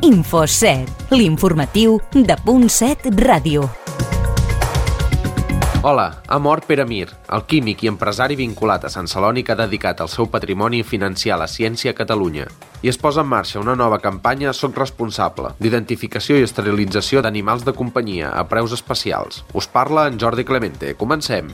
Info7, l'informatiu de .7 Ràdio. Hola, ha mort Pere Mir, el químic i empresari vinculat a Sant Celoni que ha dedicat el seu patrimoni a financiar la ciència a Catalunya. I es posa en marxa una nova campanya Soc responsable, d'identificació i esterilització d'animals de companyia a preus especials. Us parla en Jordi Clemente. Comencem!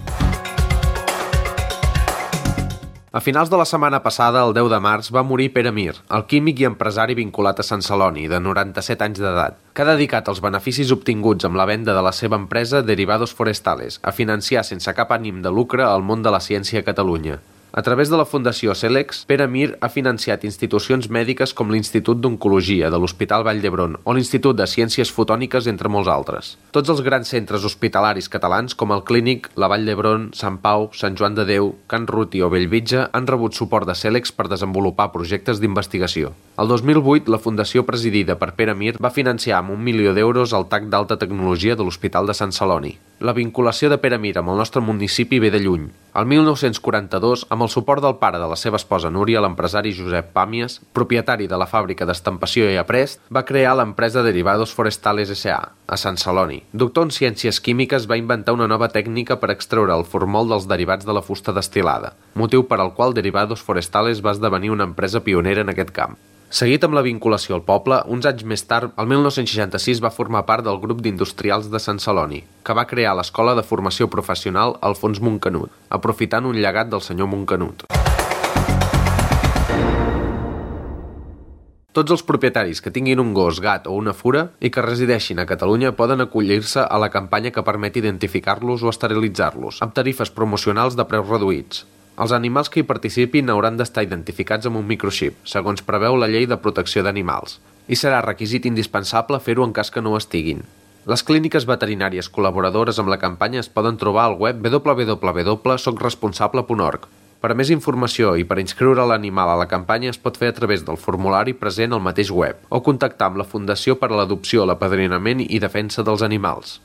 A finals de la setmana passada, el 10 de març, va morir Pere Mir, el químic i empresari vinculat a Sant Celoni, de 97 anys d'edat, que ha dedicat els beneficis obtinguts amb la venda de la seva empresa Derivados Forestales a financiar sense cap ànim de lucre el món de la ciència a Catalunya. A través de la Fundació Celex, Pere Mir ha financiat institucions mèdiques com l'Institut d'Oncologia de l'Hospital Vall d'Hebron o l'Institut de Ciències Fotòniques, entre molts altres. Tots els grans centres hospitalaris catalans com el Clínic, la Vall d'Hebron, Sant Pau, Sant Joan de Déu, Can Ruti o Bellvitge han rebut suport de Celex per desenvolupar projectes d'investigació. El 2008, la fundació presidida per Pere Mir va financiar amb 1 milió d'euros el TAC d'alta tecnologia de l'Hospital de Sant Celoni. La vinculació de Pere Mir amb el nostre municipi ve de lluny. El 1942, amb el suport del pare de la seva esposa Núria, l'empresari Josep Pàmies, propietari de la fàbrica d'estampació i aprest, va crear l'empresa Derivados Forestales S.A., a Sant Celoni. Doctor en Ciències Químiques, va inventar una nova tècnica per extreure el formol dels derivats de la fusta destil·lada, motiu per al qual Derivados Forestales va esdevenir una empresa pionera en aquest camp. Seguit amb la vinculació al poble, uns anys més tard, el 1966 va formar part del grup d'industrials de Sant Celoni, que va crear l'Escola de Formació Professional Alfons Montcanut, aprofitant un llegat del senyor Montcanut. Tots els propietaris que tinguin un gos, gat o una fura i que resideixin a Catalunya poden acollir-se a la campanya que permet identificar-los o esterilitzar-los, amb tarifes promocionals de preus reduïts. Els animals que hi participin hauran d'estar identificats amb un microxip, segons preveu la Llei de Protecció d'Animals, i serà requisit indispensable fer-ho en cas que no ho estiguin. Les clíniques veterinàries col·laboradores amb la campanya es poden trobar al web www.socresponsable.org. Per a més informació i per inscriure l'animal a la campanya es pot fer a través del formulari present al mateix web o contactar amb la Fundació per a l'Adopció, l'Apadrinament i Defensa dels Animals.